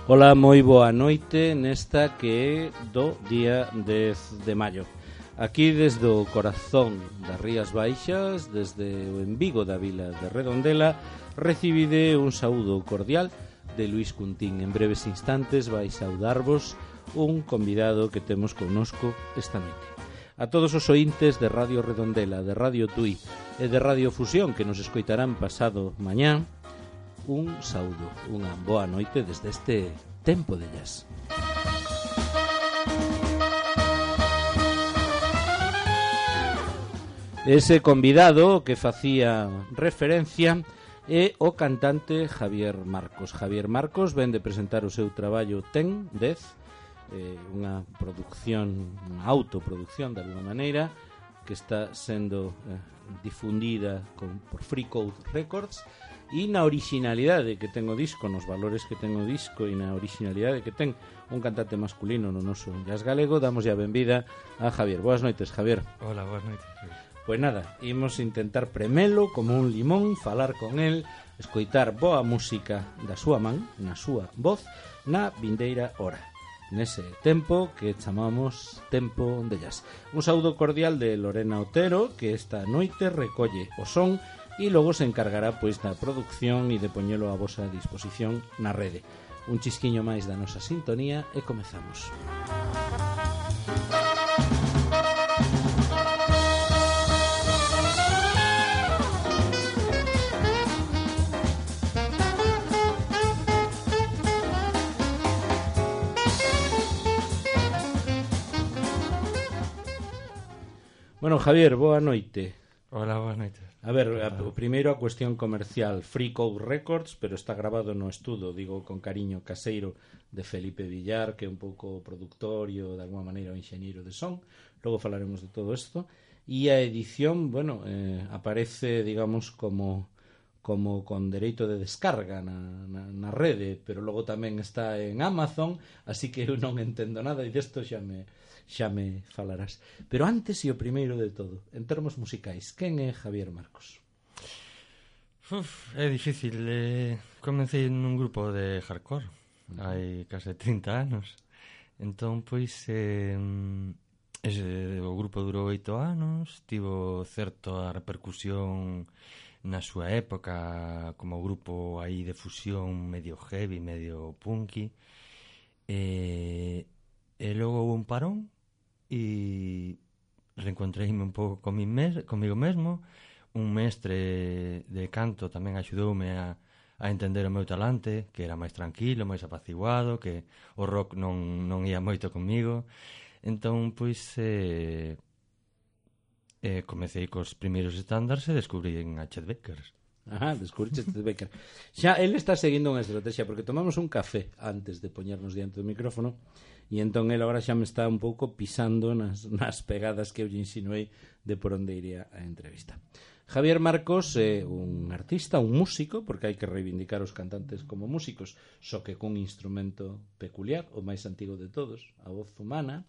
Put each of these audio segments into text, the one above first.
Ola, moi boa noite nesta que é do día 10 de maio. Aquí desde o corazón das Rías Baixas, desde o Envigo da vila de Redondela, recibide un saúdo cordial de Luís Cuntín. En breves instantes vai saudarvos un convidado que temos connosco esta noite. A todos os ointes de Radio Redondela, de Radio Tui e de Radio Fusión que nos escoitarán pasado mañá, un saúdo, unha boa noite desde este tempo de jazz. Ese convidado que facía referencia é o cantante Javier Marcos. Javier Marcos ven de presentar o seu traballo Ten 10, unha produción, unha autoproducción de alguma maneira que está sendo difundida por Free Code Records. E na originalidade que ten o disco, nos valores que ten o disco e na originalidade que ten un cantante masculino no noso jazz galego, damos a benvida a Javier. Boas noites, Javier. Hola, boas noites. Pois nada, imos intentar premelo como un limón, falar con el, escoitar boa música da súa man, na súa voz, na vindeira hora. Nese tempo que chamamos Tempo de Jazz. Un saúdo cordial de Lorena Otero, que esta noite recolle o son e logo se encargará pois da producción e de poñelo a vosa disposición na rede. Un chisquiño máis da nosa sintonía e comezamos. Bueno, Javier, boa noite. Hola, boas noites. A ver, primeiro a cuestión comercial. Free Code Records, pero está grabado no estudo, digo con cariño, caseiro de Felipe Villar, que é un pouco productor e de alguma maneira o enxeñeiro de son. Logo falaremos de todo isto. E a edición, bueno, aparece, digamos, como con dereito de descarga na rede, pero logo tamén está en Amazon, así que eu non entendo nada e desto xa me falarás. Pero antes e o primeiro de todo, en termos musicais, quen é Javier Marcos? É difícil. Comecei nun grupo de hardcore hai case 30 anos. Entón, pois, o grupo durou 8 anos, tivo certa repercusión na súa época como grupo aí de fusión medio heavy, medio punky, e logo houve un parón e reencontreime un pouco comigo mesmo. Un mestre de canto tamén axudoume a entender o meu talante, que era máis tranquilo, máis apaciguado, que o rock non ia moito comigo. Entón, pois, comecei cos primeiros estándares e descubrín a Chet Baker. Descubriches Chet Baker. Xa, ele está seguindo unha estrategia, porque tomamos un café antes de poñernos diante do micrófono, e entón ele agora xa me está un pouco pisando nas pegadas que eu lle insinuei de por onde iría a entrevista. Javier Marcos é un artista, un músico, porque hai que reivindicar os cantantes como músicos, só que cun instrumento peculiar, o máis antigo de todos, a voz humana,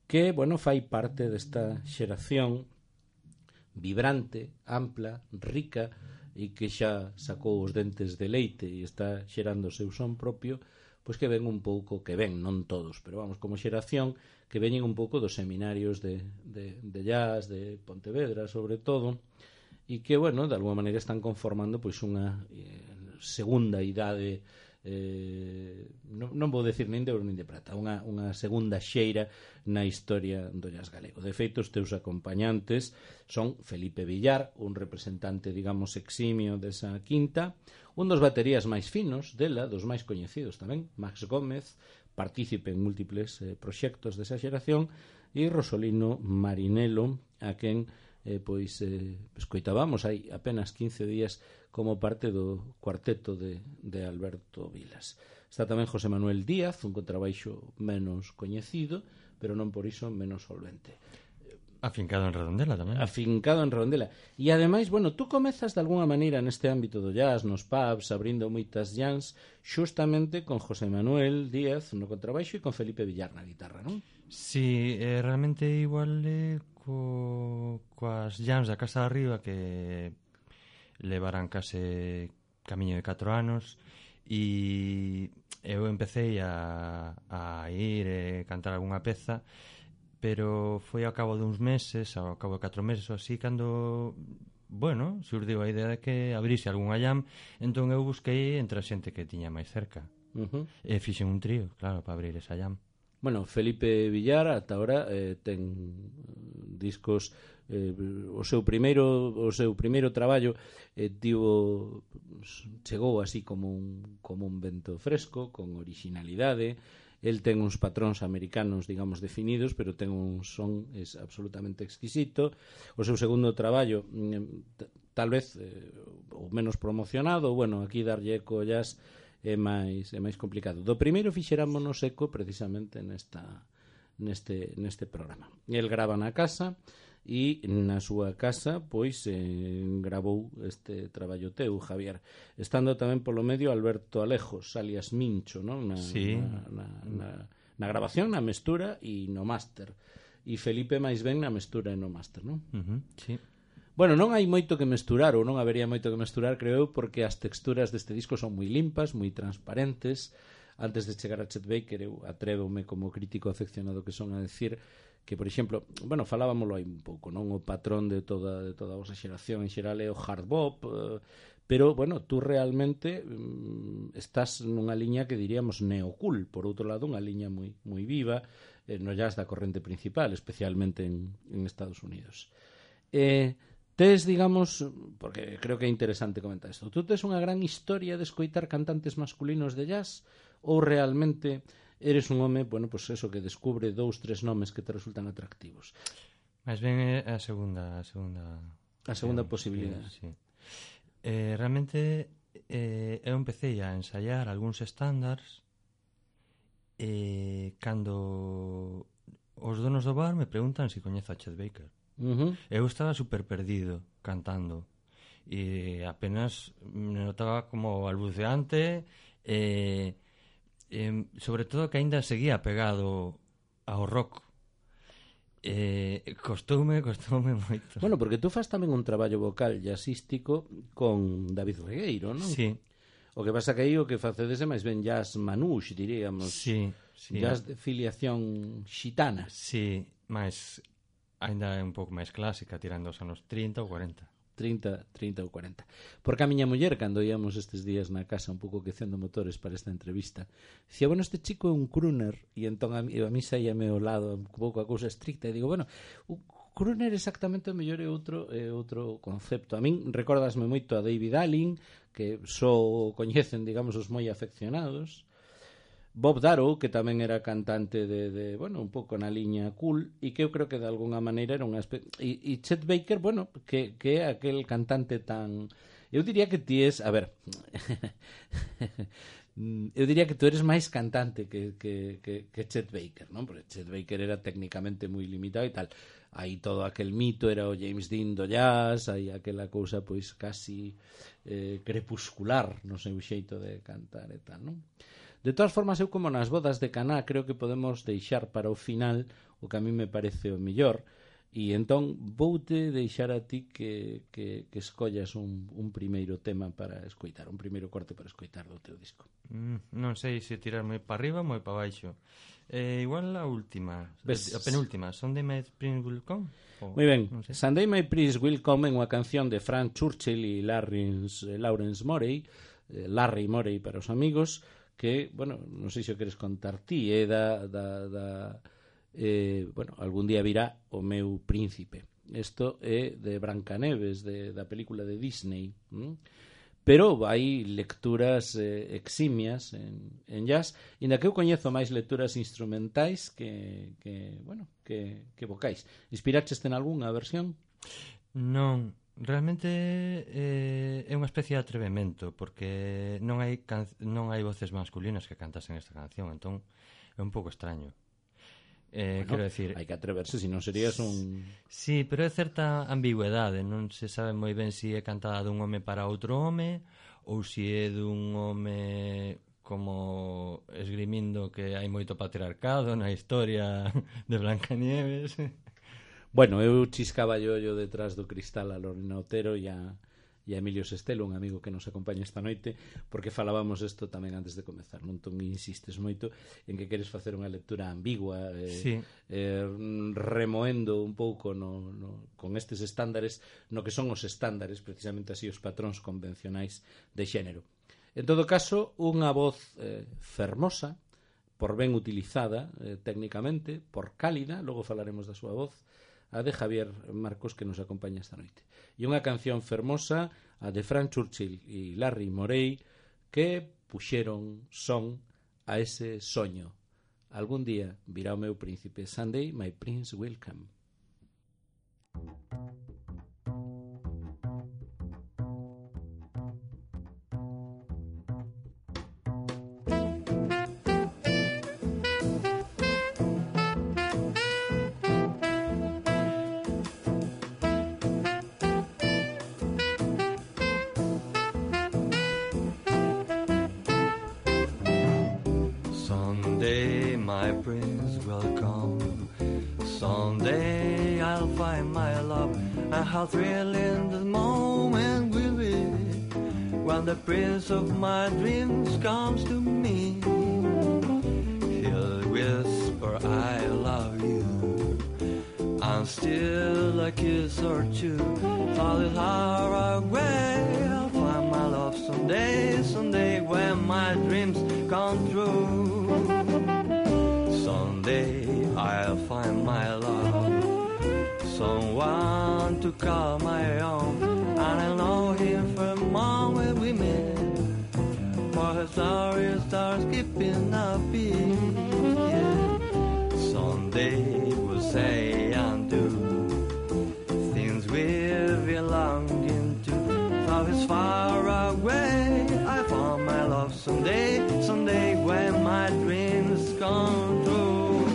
que, bueno, fai parte desta xeración vibrante, ampla, rica, e que xa sacou os dentes de leite e está xerando o seu son propio, pois que ven un pouco, que ven, non todos, pero vamos, como xeración, que veñen un pouco dos seminarios de jazz, de Pontevedra, sobre todo, e que, bueno, de alguma maneira están conformando pois unha segunda idade, non vou decir nin de ouro nin de prata, unha segunda xeira na historia do jazz galego. De feito, os teus acompañantes son Felipe Villar, un representante, digamos, eximio desa quinta, un dos baterías máis finos dela, dos máis coñecidos tamén, Max Gómez, partícipe en múltiples proxectos desa xeración, e Rosolino Marinelo, a quen escoitábamos hai apenas 15 días como parte do cuarteto de Alberto Vilas. Está tamén José Manuel Díaz, un contrabaixo menos coñecido, pero non por iso menos solvente. Afincado en Redondela tamén. Afincado en Redondela. E ademais, bueno, tú comezas de alguna maneira neste ámbito do jazz, nos pubs, abrindo moitas jams, xustamente con José Manuel Díaz no contrabaixo e con Felipe Villar na guitarra, non? Sí, realmente igual coas jams da Casa de Arriba, que levaran case camiño de 4 anos, e eu empecé a ir e cantar algunha peza, pero foi ao cabo duns meses, ao cabo de 4 meses ou así, cando, bueno, surdiu a idea de que abrise algunha jam, entón eu busquei entre a xente que tiña máis cerca. E fixen un trío, claro, para abrir esa jam. Bueno, Felipe Villar ata ahora ten discos, o seu primeiro traballo chegou así como un vento fresco, con originalidade. El ten uns patróns americanos, digamos, definidos, pero ten un son absolutamente exquisito. O seu segundo traballo, tal vez o menos promocionado, bueno, aquí darlle eco jazz é máis complicado. Do primeiro fixerámonos eco precisamente neste programa. El grava na casa e na súa casa pois gravou este traballo teu, Javier, estando tamén polo medio Alberto Alejos, alias Mincho, non? Na grabación, na mestura e no máster, e Felipe máis ben na mestura e no máster, non? Sí. Bueno, non hai moito que mesturar, ou non habería moito que mesturar, creo eu, porque as texturas deste disco son moi limpas, moi transparentes. Antes de chegar a Chet Baker, eu atrévome como crítico afeccionado que son a decir que, por exemplo, bueno, falábamolo aí un pouco, non? O patrón de toda a vosa xeración en xeral é o hard bop, pero, bueno, tú realmente estás nunha liña que diríamos neocool, por outro lado, unha liña moi viva no jazz da corrente principal, especialmente en Estados Unidos. Tes, digamos, porque creo que é interesante comentar isto, tú tes unha gran historia de escoitar cantantes masculinos de jazz ou realmente eres un home, bueno, pues eso, que descubre 2-3 nomes que te resultan atractivos? Máis ben é a segunda posibilidade. Sí. Realmente eu empecé a ensaiar algúns estándares cando os donos do bar me preguntan se coñezo a Chet Baker. Eu estaba super perdido cantando e apenas me notaba como balbuceante sobre todo que aínda seguía pegado ao rock. Costoume moito. Bueno, porque tú fas tamén un traballo vocal jazzístico con David Regueiro, non? Sí. O que pasa que aí o que facedes é máis ben jazz manouche, diríamos. Sí. Jazz de filiación xitana. Sí, máis ainda é un pouco máis clásica, tirando os anos 30 ou 40. 30 ou 40. Porque a miña muller, cando íamos estes días na casa un pouco quecendo motores para esta entrevista, dicía, bueno, este chico é un crooner, e entón a mí saíame ao lado un pouco a cousa estricta, e digo, bueno, o crooner exactamente o mellor é outro concepto. A min recordasme moito a David Allen, que só coñecen, digamos, os moi afeccionados, Bob Darrow, que tamén era cantante de bueno, un pouco na liña cool, e que eu creo que de alguna maneira era e Chet Baker, bueno, que é aquel cantante tan... Eu diría que ti es... A ver... eu diría que tú eres máis cantante que Chet Baker, non? Porque Chet Baker era técnicamente moi limitado e tal. Aí todo aquel mito era o James Dean do jazz, aí aquela cousa pois casi crepuscular no seu xeito de cantar e tal, non? De todas formas, eu como nas bodas de Caná creo que podemos deixar para o final o que a mí me parece o mellor, e entón voute deixar a ti que escollas un primeiro tema para escoitar, un primeiro corte para escoitar do teu disco. Non sei se tirar moi para arriba ou moi para baixo. Igual a última, a penúltima, Sunday My Prince Will Come. Moi ben, no sé. Sunday My Prince Will Come é unha canción de Frank Churchill e Lawrence Morey, Larry Morey para os amigos, que, bueno, non sei se o queres contar ti, é bueno, algún día virá o meu príncipe. Isto é de Brancaneves, da película de Disney. Pero hai lecturas eximias en jazz, e na que eu coñezo máis lecturas instrumentais que vocais. Inspiraches en algunha versión? Non. Realmente é unha especie de atrevemento, porque non hai voces masculinas que cantasen esta canción, entón é un pouco extraño. Bueno, quero decir, hai que atreverse, se non serías un... Sí, pero é certa ambigüedade, non se sabe moi ben se é cantada dun home para outro home ou se é dun home como esgrimindo que hai moito patriarcado na historia de Blancanieves. Bueno, eu chiscaba ollo detrás do cristal a Lorena Otero e a e a Emilio Sestelo, un amigo que nos acompaña esta noite, porque falábamos isto tamén antes de comezar, non? Entón insistes moito en que queres facer unha lectura ambigua, sí. Remoendo un pouco con estes estándares, no que son os estándares, precisamente así, os patróns convencionais de xénero. En todo caso, unha voz fermosa, por ben utilizada técnicamente, por cálida, logo falaremos da súa voz, a de Javier Marcos, que nos acompaña esta noite. E unha canción fermosa, a de Frank Churchill e Larry Morey, que puxeron son a ese soño. Algún día virá o meu príncipe. Someday my prince will come. Someday my prince will come. Someday I'll find my love. And how thrilling the moment will be when the prince of my dreams comes to me. He'll whisper, I love you, and still a kiss or two. All is far away, I'll find my love someday, someday when my dreams come true. Someday I'll find my love, someone to call my own, and I'll know him for a moment we met, for his story starts keeping a beat. Yeah. Someday we'll say and do things we've been longing to. Love is far away, I found my love someday, someday when my dreams come true.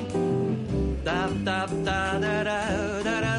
Da da da da da da da da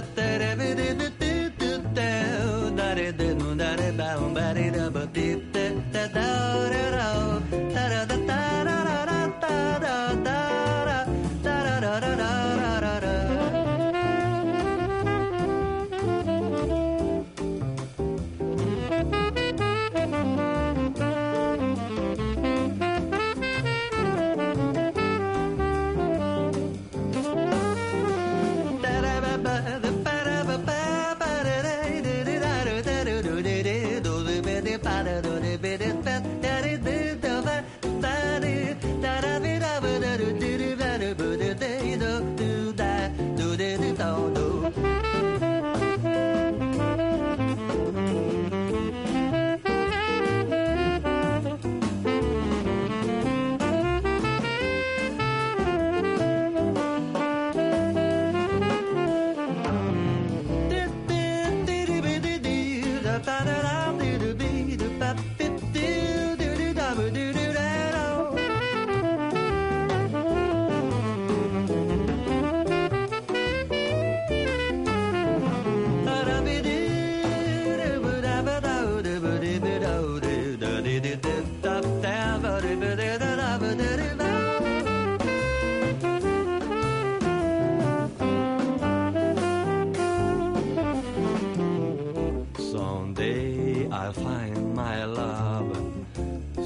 Someday I'll find my love,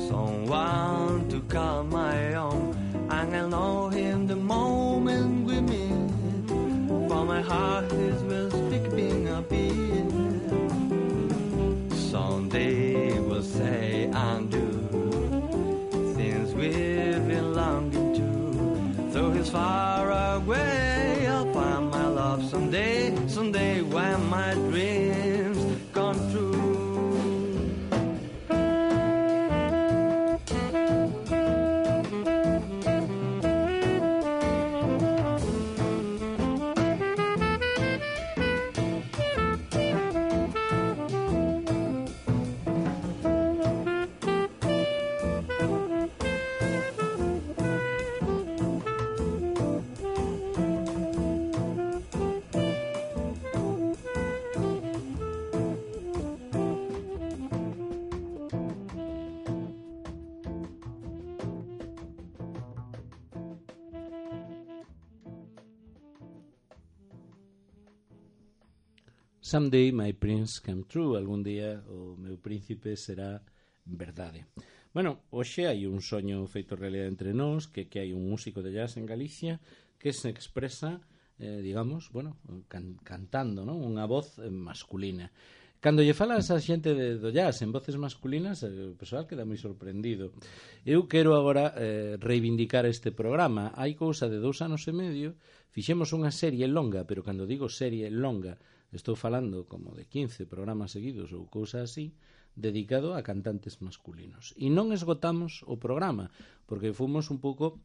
someone to call my own, and I'll know him the moment we meet, for my heart is will skipping a beat. Someday we'll say and do things we've been longing to, though he's far away, I'll find my love someday, someday when my dreams come true. Someday my prince come true. Algún día o meu príncipe será verdade. Bueno, hoxe hai un soño feito realidade entre nós, que hai un músico de jazz en Galicia que se expresa, digamos, bueno, cantando, non? Unha voz masculina. Cando lle falas a xente do jazz en voces masculinas, o persoal queda moi sorprendido. Eu quero agora reivindicar este programa. Hai cousa de 2 anos e medio, fixemos unha serie longa, pero cando digo serie longa, estou falando como de 15 programas seguidos ou cousa así, dedicado a cantantes masculinos. E non esgotamos o programa, porque fomos un pouco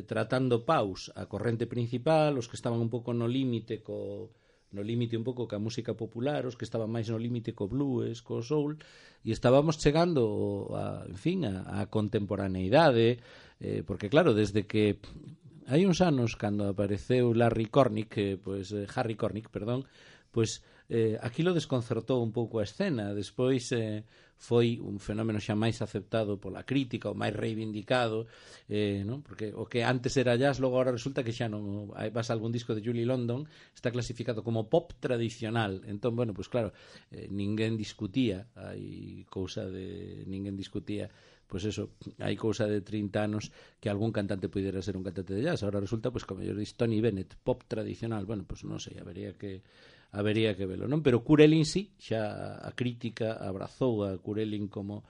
tratando paus a corrente principal, os que estaban un pouco no límite un pouco ca música popular, os que estaban máis no límite co blues, co soul, e estábamos chegando a contemporaneidade, porque claro, desde que hai uns anos cando apareceu Harry Connick, aquilo desconcertou un pouco a escena. Despois foi un fenómeno xa máis aceptado pola crítica, o máis reivindicado, non? Porque o que antes era jazz, logo agora resulta que xa non. Vas a algún disco de Julie London, está clasificado como pop tradicional. Entón, bueno, pues claro, ninguén discutía, pois eso, hai cousa de 30 anos que algún cantante pudera ser un cantante de jazz. Ahora resulta, pois, como yo dis, Tony Bennett, pop tradicional. Bueno, pois non sei, habería que velo, non? Pero Kurt Elling sí, xa a crítica abrazou a Kurt Elling como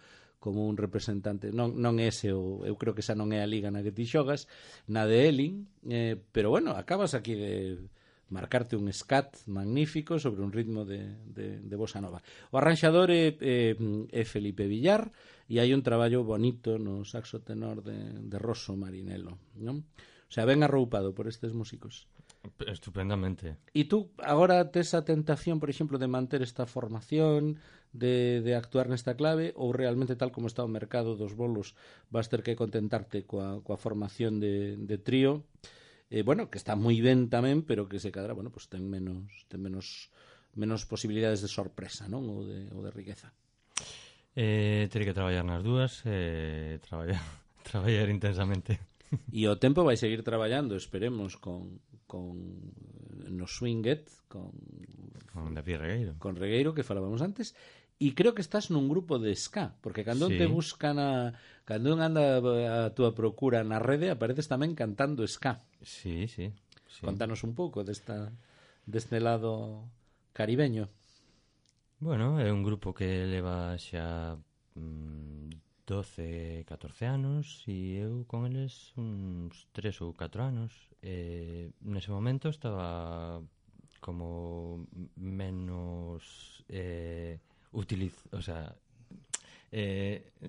un representante, non ese, eu creo que esa non é a liga na que ti xogas, na de Elling, pero bueno, acabas aquí de marcarte un scat magnífico sobre un ritmo de bossa nova. O arranxador é Felipe Villar, e hai un traballo bonito no saxo tenor de Rosso Marinello, non? O sea, ben arroupado por estes músicos. Estupendamente. E tú agora tes a tentación, por exemplo, de manter esta formación, de actuar nesta clave, ou realmente tal como está o mercado dos bolos vas ter que contentarte coa formación de trío, bueno, que está moi ben tamén, pero que se cadra, bueno, pues ten menos posibilidades de sorpresa, non? Ou de riqueza. Terei que traballar nas dúas, traballar intensamente. E o tempo vai seguir traballando, esperemos, con no Swinget, con David Regueiro. Con Regueiro, que falábamos antes, e creo que estás nun grupo de ska, porque cando te buscan cando anda a túa procura na rede, apareces tamén cantando ska. Sí. Contanos un pouco deste lado caribeño. Bueno, é un grupo que leva xa 12, 14 anos e eu con eles uns 3 ou 4 anos. Nese momento estaba como menos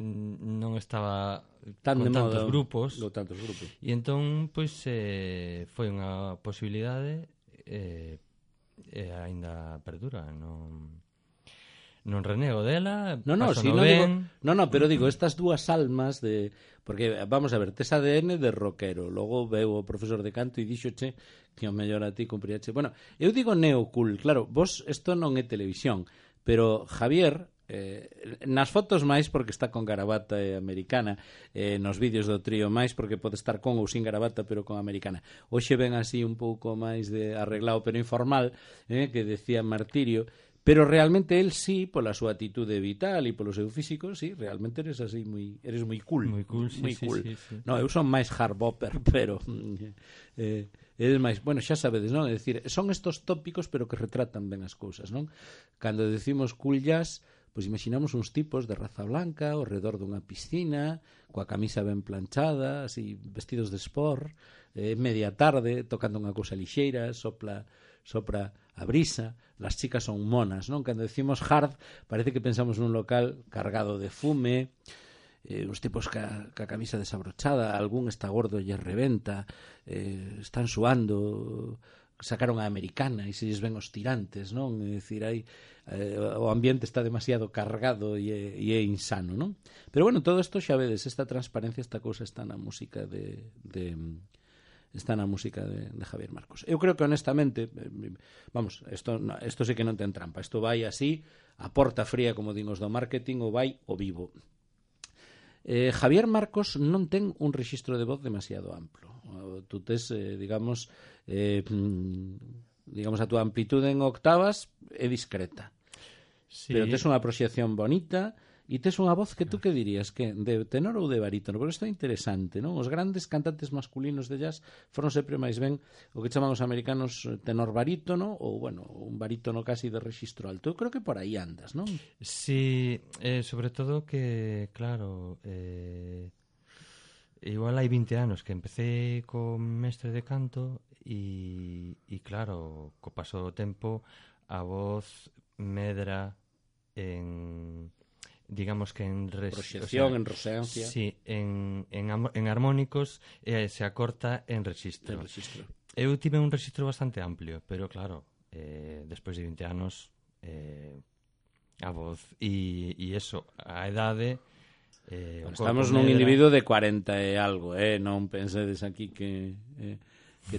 non estaba tan con de tantos moda, grupos e entón pois foi unha posibilidade e aínda perdura. Non renego dela, pero digo, estas dúas almas de... Porque, vamos a ver, tes ADN de rockero, logo veu o profesor de canto e dixoche que o mellor a ti cumpriache. Bueno, eu digo neocool, claro, vos isto non é televisión, pero Javier, nas fotos máis porque está con gravata americana, nos vídeos do trío máis porque pode estar con ou sin gravata pero con americana. Hoxe ven así un pouco máis de arreglado pero informal, que decía Martirio. Pero realmente él sí, pola súa atitude vital e polo seu físico, sí, realmente eres así eres moi cool. Moi cool, sí. No, eu son máis hard bopper, pero eres máis, bueno, xa sabedes, non? É dicir, son estos tópicos pero que retratan ben as cousas, non? Cando decimos cool jazz, pois imaginamos uns tipos de raza blanca ao redor dunha piscina, coa camisa ben planchada, así vestidos de sport, media tarde, tocando unha cousa lixeira, sopra a brisa, las chicas son monas, non? Cando decimos hard, parece que pensamos nun local cargado de fume, uns tipos ca camisa desabrochada, algún está gordo e reventa, están suando, sacaron a americana e se lles ven os tirantes, non? É dicir, o ambiente está demasiado cargado e é insano, non? Pero bueno, todo isto xa vedes, esta transparencia, esta cousa está na música de Javier Marcos. Eu creo que honestamente, vamos, isto sí que non ten trampa, isto vai así, a porta fría, como din os do marketing, ou vai o vivo. Javier Marcos non ten un rexistro de voz demasiado amplo. Tú tes, digamos, digamos, a túa amplitude en octavas é discreta. Sí. Pero tes unha proxección bonita e tes unha voz que tú que dirías, que de tenor ou de barítono, porque isto é interesante, non? Os grandes cantantes masculinos de jazz foron sempre máis ben o que chaman os americanos tenor barítono ou, bueno, un barítono casi de rexistro alto. Eu creo que por aí andas, non? Sí, sobre todo que, claro, igual hai 20 anos que empecé co mestre de canto e claro, co paso do tempo a voz medra en, digamos que en proxección, en resonancia. Sí, en armónicos se acorta en rexistro. Eu tive un rexistro bastante amplio, pero claro, despois de 20 anos a voz e eso, a edade estamos nun individuo de 40 e algo, non pensedes aquí que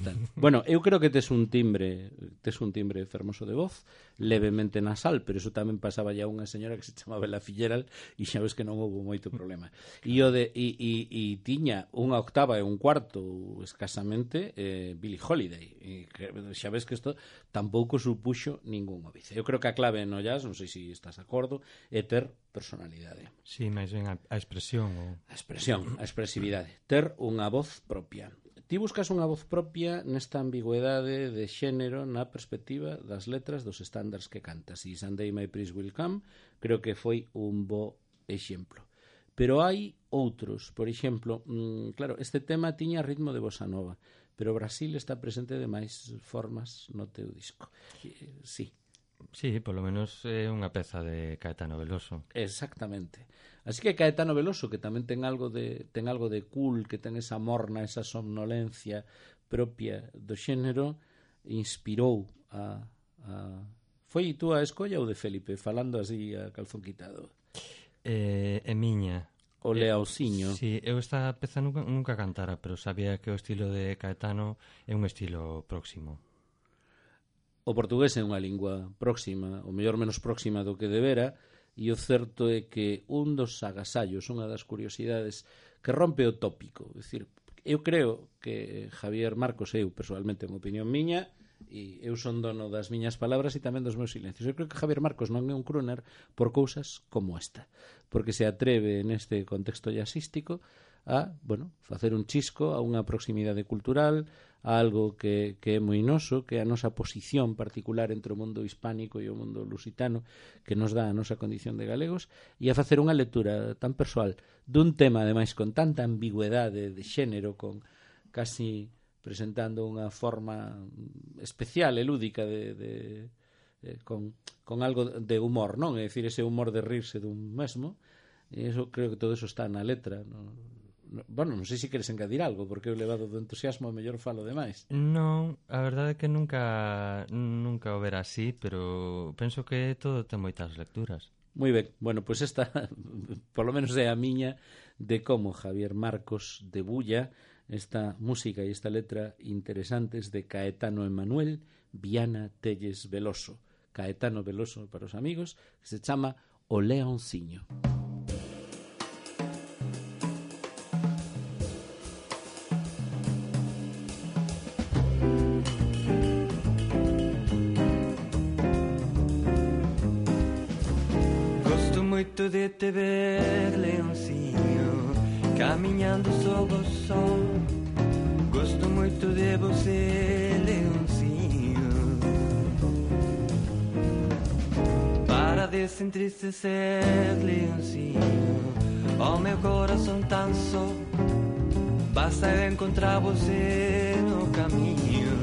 tal. Bueno, eu creo que tes un timbre fermoso de voz, levemente nasal, pero eso tamén pasaba ya unha señora que se chamaba Ella Fitzgerald e xa ves que non houve moito problema. E tiña unha octava e un cuarto escasamente Billie Holiday. E xa ves que isto tampouco supuxo ningún óbice. Eu creo que a clave no jazz, non sei se estás de acordo, é ter personalidade. Sí, máis ben a expresión. A expresividade. Ter unha voz propia. Ti buscas unha voz propia nesta ambigüedade de xénero na perspectiva das letras dos estándares que cantas. E Someday My Prince Will Come creo que foi un bo exemplo. Pero hai outros, por exemplo, claro, este tema tiña ritmo de bossa nova, pero Brasil está presente de máis formas no teu disco. Sí. Sí, polo menos é unha peza de Caetano Veloso. Exactamente. Así que Caetano Veloso, que tamén ten algo de cool, que ten esa morna, esa somnolencia propia do xénero, inspirou a... Foi tú a escolla ou de Felipe, falando así a calzón quitado? É miña. O Leauciño. Sí, eu esta peza nunca cantara, pero sabía que o estilo de Caetano é un estilo próximo. O portugués é unha lingua próxima, ou mellor menos próxima do que debera, e o certo é que un dos agasallos, unha das curiosidades que rompe o tópico. É dicir, eu creo que Javier Marcos, eu personalmente, en opinión miña, e eu son dono das miñas palabras e tamén dos meus silencios. Eu creo que Javier Marcos non é un crooner por cousas como esta, porque se atreve neste contexto jazzístico a, bueno, facer un chisco a unha proximidade cultural, a algo que é moi noso, que é a nosa posición particular entre o mundo hispánico e o mundo lusitano, que nos dá a nosa condición de galegos, e a facer unha lectura tan persoal dun tema, ademais, con tanta ambigüedade de xénero, con casi presentando unha forma especial e lúdica con algo de humor, non? É dicir, ese humor de rirse dun mesmo, e eso, creo que todo eso está na letra, non? Bueno, non sei se queres engadir algo, porque eu levado do entusiasmo mellor falo demais. Non, a verdade é que nunca o verá así, pero penso que todo ten moitas lecturas. Moi ben, bueno, pois esta polo menos é a miña de como Javier Marcos debulla esta música e esta letra interesantes de Caetano Emanuel Viana Telles Veloso. Caetano Veloso para os amigos, que se chama O Leonciño. De te ver, leoncinho, caminhando sob o sol. Gosto muito de você, leoncinho, para desentristecer, leoncinho, oh meu coração tão só. Basta eu encontrar você no caminho.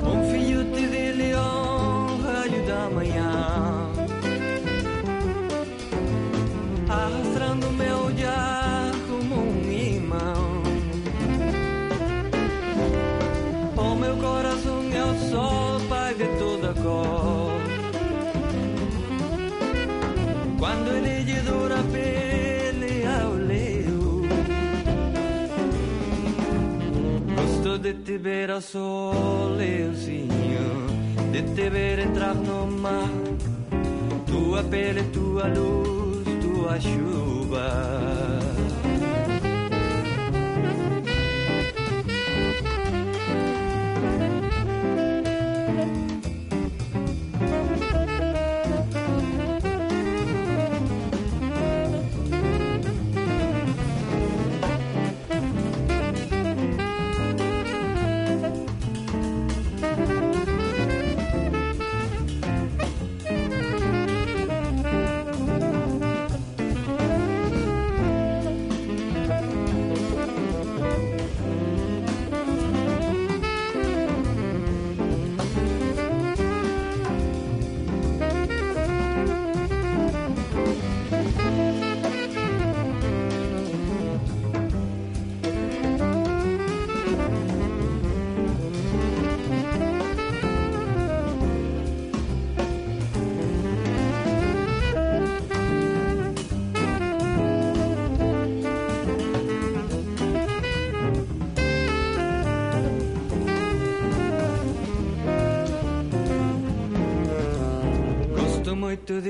Um filhote de leão, raio da manhã, arrastando meu olhar como um imã. O meu coração é o sol, pai de toda cor. Quando ele lhe dura a pele ao leu, gosto de te ver ao sol, leozinho, de te ver entrar no mar. Tua pele, tua luz, tua chuva.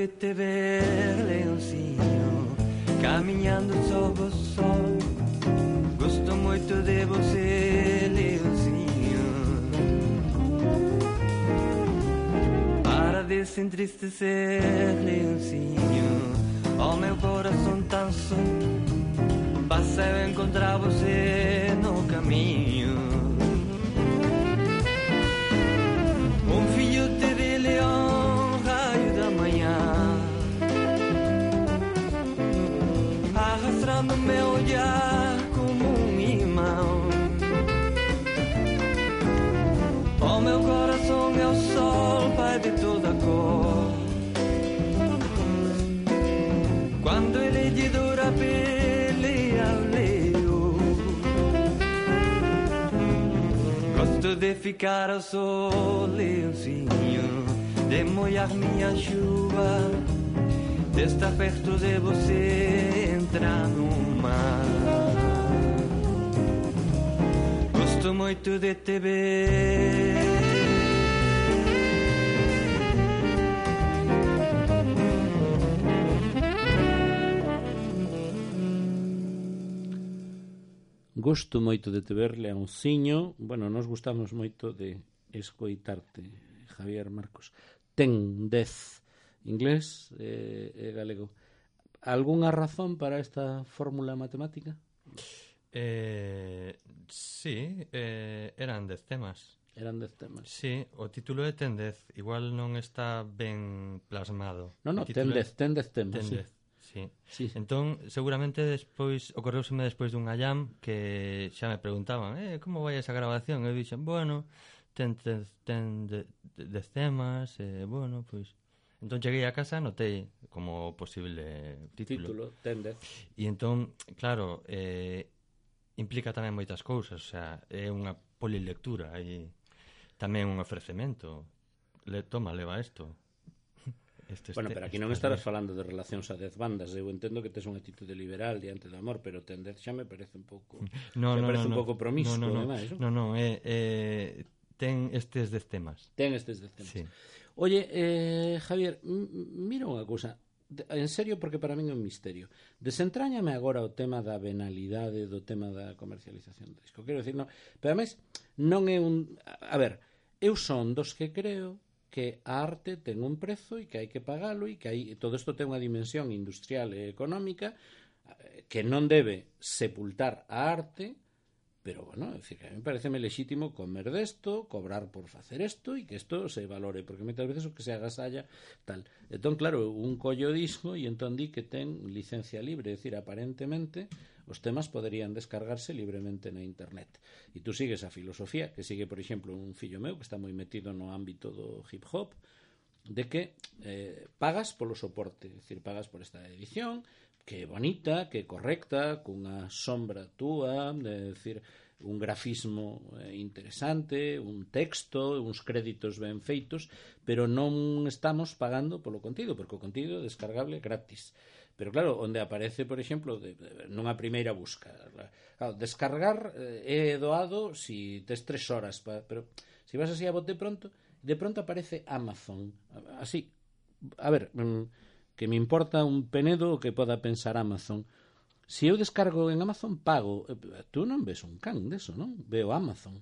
de te ver, leãozinho, caminhando sob o sol. Gosto muito de você, leãozinho, para de se entristecer, leãozinho. Oh, meu coração tão só passa a encontrar você no caminho. Filhote de leão, raio da manhã, arrastando meu olhar como um imã. Oh, meu coração é o sol, pai de toda cor. Quando ele de dura pele ao leio, gosto de ficar ao sol, leãozinho, de molhar minha chuva, de estar perto de você, entrar no mar. Gosto muito de te ver. Gosto moito de te ver, leãonciño. Bueno, nos gustamos moito de escoitarte, Javier Marcos. Ten 10 inglés e galego. Algúnha razón para esta fórmula matemática? Sí, eran 10 temas. Eran 10 temas. Sí, o título é ten 10. Igual non está ben plasmado. No, ten 10 temas. Ten 10. Sí. Sí. Entón, seguramente despois ocorreuseme despois dunha jam que xa me preguntaban, como vai esa grabación? E eu dixen, bueno, ten 10 temas, bueno, pois... Entón cheguei a casa, notei como posible título. Ten 10. E entón, claro, implica tamén moitas cousas, o sea, é unha polilectura e tamén un ofrecemento. Toma, leva isto. Bueno, pero aquí non estarás falando de relacións a 10 bandas. Eu entendo que tes unha actitude liberal diante do amor, pero ten 10 xa me parece un pouco... parece un pouco promiscuo, ademais. Non, ten estes 10 temas. Ten estes 10 temas. Sí. Oye, Javier, mira unha cousa, en serio, porque para min é un misterio. Desentráñame agora o tema da venalidade, do tema da comercialización do disco. Quero dicir, non, pero ademais, non é un... A ver, eu son dos que creo que a arte ten un prezo e que hai que pagalo e que todo isto ten unha dimensión industrial e económica que non debe sepultar a arte, pero, bueno, é dicir, que a mí pareceme lexítimo comer desto, cobrar por facer isto e que isto se valore, porque moitas veces o que se agasalla tal. Entón, claro, un collo disco e entón di que ten licencia libre, é dicir, aparentemente os temas poderían descargarse libremente na internet. E tú sigues a filosofía que sigue, por exemplo, un fillo meu que está moi metido no ámbito do hip hop, de que pagas polo soporte, é dicir, pagas por esta edición, que é bonita, que é correcta, cunha sombra túa, é dicir, un grafismo interesante, un texto, uns créditos ben feitos, pero non estamos pagando polo contido, porque o contido é descargable gratis. Pero claro, onde aparece, por exemplo, nunha primeira busca, claro, descargar é doado si tes 3 horas, pero se vas así a bote pronto, de pronto aparece Amazon, así, a ver, que me importa un penedo o que poda pensar Amazon. Se eu descargo en Amazon, pago. Tú non ves un can deso, non? Veo Amazon.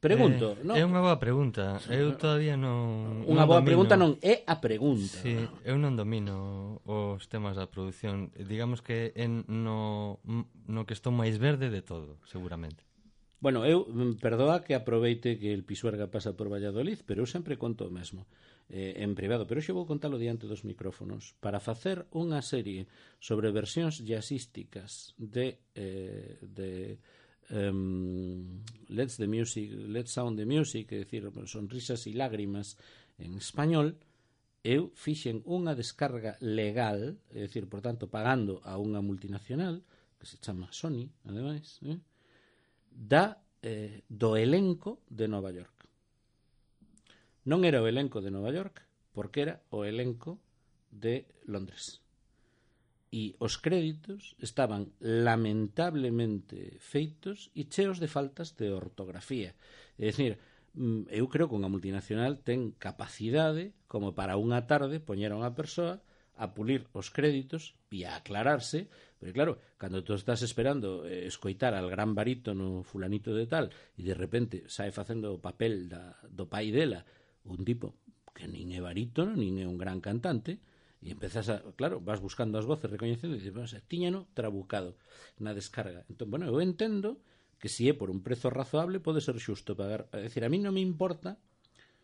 Pregunto, non? É unha boa pregunta. Eu todavía non... Unha boa pregunta non é a pregunta. Sí, eu non domino os temas da produción. Digamos que no que estou máis verde de todo, seguramente. Bueno, eu, perdoa que aproveite que el Pisuerga pasa por Valladolid, pero eu sempre conto o mesmo en privado, pero hoxe vou contalo diante dos micrófonos para facer unha serie sobre versións jazzísticas de Let's Sound the Music, é dicir, sonrisas e lágrimas en español. Eu fixen unha descarga legal, é dicir, por tanto, pagando a unha multinacional que se chama Sony, ademais, do elenco de Nova York. Non era o elenco de Nova York, porque era o elenco de Londres. E os créditos estaban lamentablemente feitos e cheos de faltas de ortografía. É dicir, eu creo que unha multinacional ten capacidade como para unha tarde poñer a unha persoa a pulir os créditos e a aclararse, pero claro, cando tú estás esperando escoitar al gran barítono fulanito de tal e de repente sae facendo o papel do pai dela, un tipo que nin é barítono, nin é un gran cantante, e empezas a, claro, vas buscando as voces recoñecendo e dices, bueno, tiñano trabucado na descarga. Entón, bueno, eu entendo que se é por un prezo razoable pode ser xusto pagar, é dicir, a mí non me importa.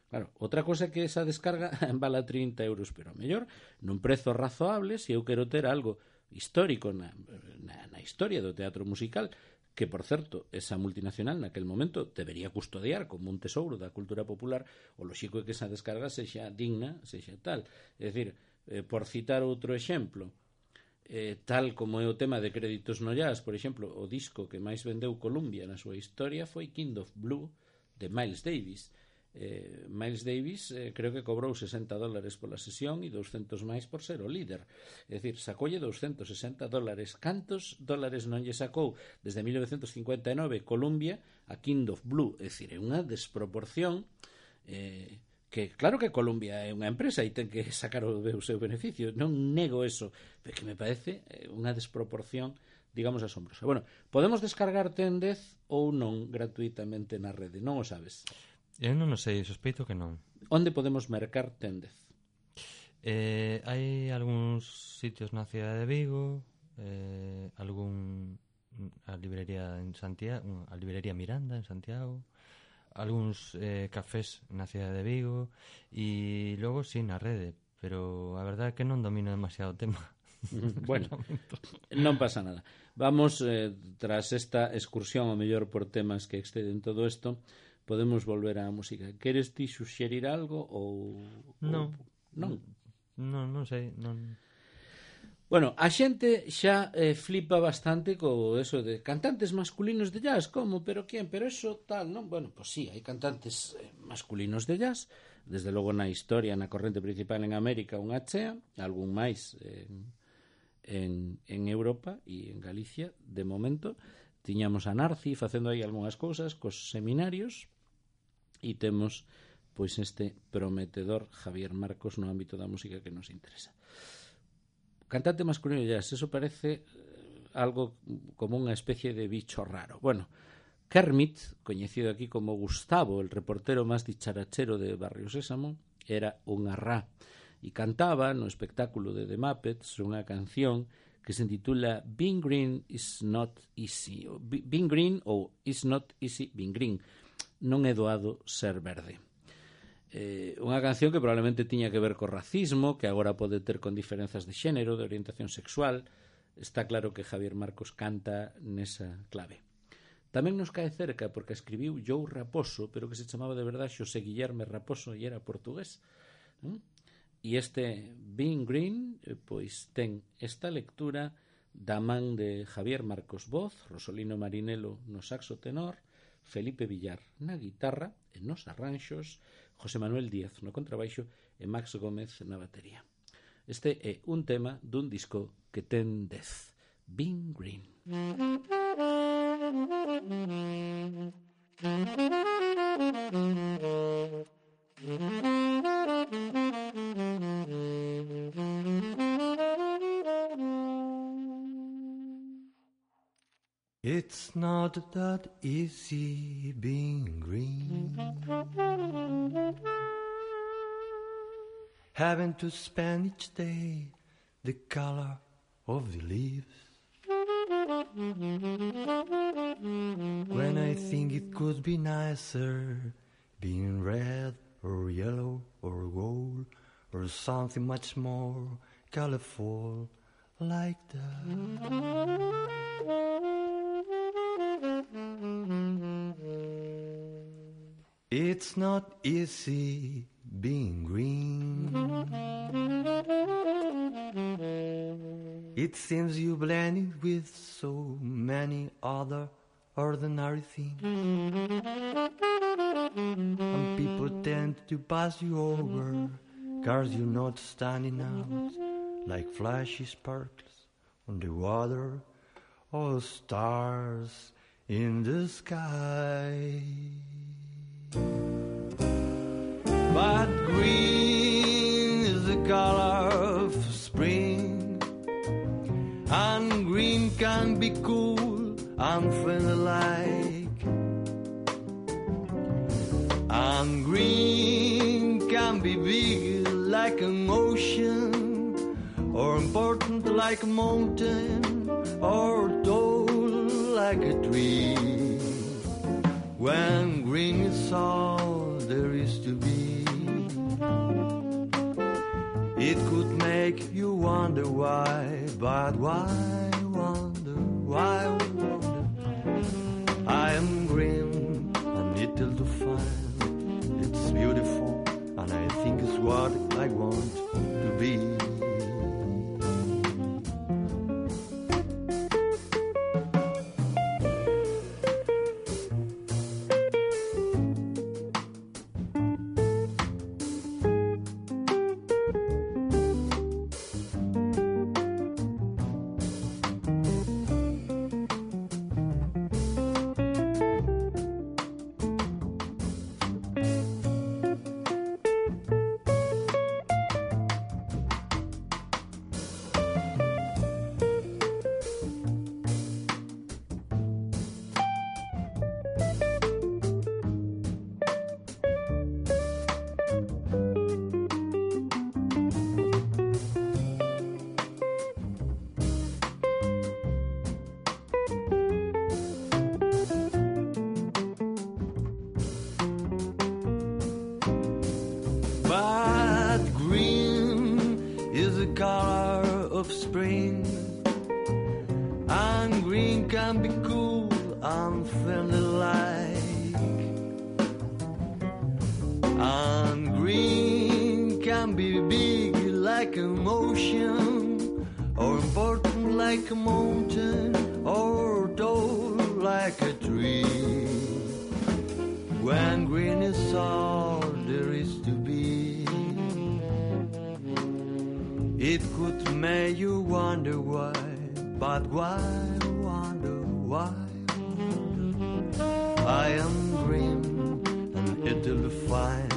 Claro, outra cosa é que esa descarga vala 30 euros, pero a mellor nun prezo razoable, se eu quero ter algo histórico na historia do teatro musical, que, por certo, esa multinacional naquel momento debería custodiar como un tesouro da cultura popular, o lóxico é que esa descarga sexa digna, sexa tal. É dicir, por citar outro exemplo, tal como é o tema de créditos no jazz, por exemplo, o disco que máis vendeu Columbia na súa historia foi Kind of Blue, de Miles Davis. Miles Davis creo que cobrou $60 pola sesión e 200 máis por ser o líder, é dicir, sacolle $260. Cantos dólares non lle sacou desde 1959 Columbia a Kind of Blue? É dicir, é unha desproporción que claro que Columbia é unha empresa e ten que sacar o seu beneficio, non nego eso, pero que me parece unha desproporción, digamos, asombrosa. Bueno, podemos descargar Tendez ou non gratuitamente na rede, non o sabes? Eu non o sei, sospeito que non. Onde podemos mercar Tendez? Hai algúns sitios na cidade de Vigo, a librería en Santiago, a librería Miranda en Santiago, algúns cafés na cidade de Vigo e logo sí na rede, pero a verdade é que non domino demasiado o tema. Bueno, non pasa nada. Vamos, tras esta excursión ao mellor por temas que exceden todo isto, podemos volver á música. Queres ti suxerir algo ou non? Non. Non sei, non. Bueno, a xente xa flipa bastante co eso de cantantes masculinos de jazz, como, pero quen, pero eso tal, non? Bueno, pois sí, hai cantantes masculinos de jazz, desde logo na historia, na corrente principal en América, unha chea, algún máis en Europa e en Galicia, de momento. Tiñamos a Narci facendo aí algunhas cousas cos seminarios e temos pois este prometedor Javier Marcos no ámbito da música que nos interesa. Cantante masculino de jazz, eso parece algo como unha especie de bicho raro. Bueno, Kermit, coñecido aquí como Gustavo, el reportero máis dicharachero de Barrio Sésamo, era unha rá e cantaba no espectáculo de The Muppets unha canción que se intitula Being Green is Not Easy. Being Green ou Is Not Easy Being Green. Non é doado ser verde. Unha canción que probablemente tiña que ver co racismo, que agora pode ter con diferenzas de xénero, de orientación sexual. Está claro que Javier Marcos canta nesa clave. Tamén nos cae cerca porque escribiu Joe Raposo, pero que se chamaba de verdade Xosé Guillerme Raposo e era portugués. E este Being Green, pois ten esta lectura da man de Javier Marcos voz, Rosolino Marinelo no saxo tenor, Felipe Villar na guitarra e nos arranxos, José Manuel Díaz no contrabaixo e Max Gómez na batería. Este é un tema dun disco que ten 10, Being Green. It's not that easy being green, having to spend each day the color of the leaves. When I think it could be nicer being red or yellow or gold or something much more colorful like that. It's not easy being green. It seems you blended with so many other ordinary things, and people tend to pass you over, cause you're not standing out like flashy sparkles on the water or stars in the sky. But green is the color of spring, and green can be cool and friendly-like, and green can be big like an ocean, or important like a mountain, or tall like a tree. When green is all there is to be, it could make you wonder why, but why wonder, why wonder? I am green and little to find. It's beautiful and I think it's what I want to be. But green is the color of spring, and green can be cool and friendly-like, and green can be big like an ocean, or important like a mountain, or tall like a tree. When green is all there is to be, it could make you wonder why, but why wonder, why wonder? I am green and it'll fine.